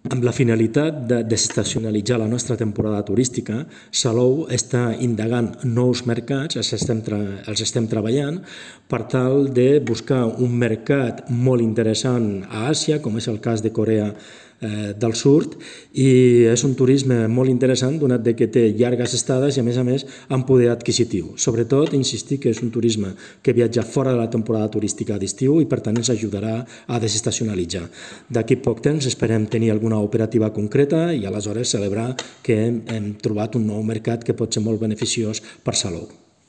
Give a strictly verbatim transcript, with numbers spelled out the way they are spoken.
Amb la finalitat de desestacionalitzar la nostra temporada turística, Salou està indagant nous mercats, els estem, els estem treballant, per tal de buscar un mercat molt interessant a Àsia, com és el cas de Corea del Sud, i és un turisme molt interessant donat que té llargues estades i a més a més amb poder adquisitiu. Sobretot, insistir que és un turisme que viatja fora de la temporada turística d'estiu i per tant ens ajudarà a desestacionalitzar. D'aquí poc temps esperem tenir alguna operativa concreta i aleshores celebrar que hem trobat un nou mercat que pot ser molt beneficiós per Salou.